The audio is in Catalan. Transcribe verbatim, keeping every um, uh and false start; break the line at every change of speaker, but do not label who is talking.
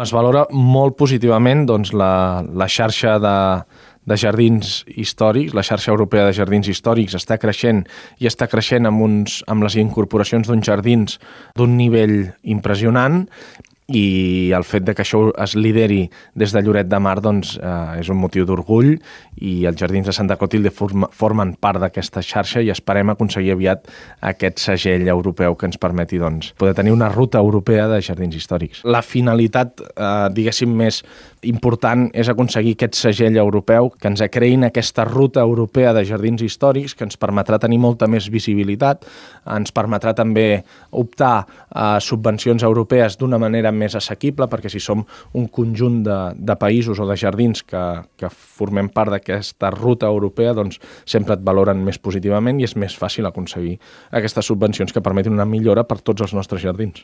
Es valora molt positivament doncs, la, la xarxa de, de jardins històrics, la xarxa europea de jardins històrics està creixent i està creixent amb, uns, amb les incorporacions d'uns jardins d'un nivell impressionant, i el fet de que això es lideri des de Lloret de Mar doncs, eh, és un motiu d'orgull, i els jardins de Santa Clotilde form, formen part d'aquesta xarxa i esperem aconseguir aviat aquest segell europeu que ens permeti doncs, poder tenir una ruta europea de jardins històrics. La finalitat, eh, diguéssim, més important és aconseguir aquest segell europeu que ens creïn aquesta ruta europea de jardins històrics que ens permetrà tenir molta més visibilitat, ens permetrà també optar a subvencions europees d'una manera més assequible, perquè si som un conjunt de, de països o de jardins que, que formem part d'aquesta ruta europea, doncs sempre et valoren més positivament i és més fàcil aconseguir aquestes subvencions que permetin una millora per tots els nostres jardins.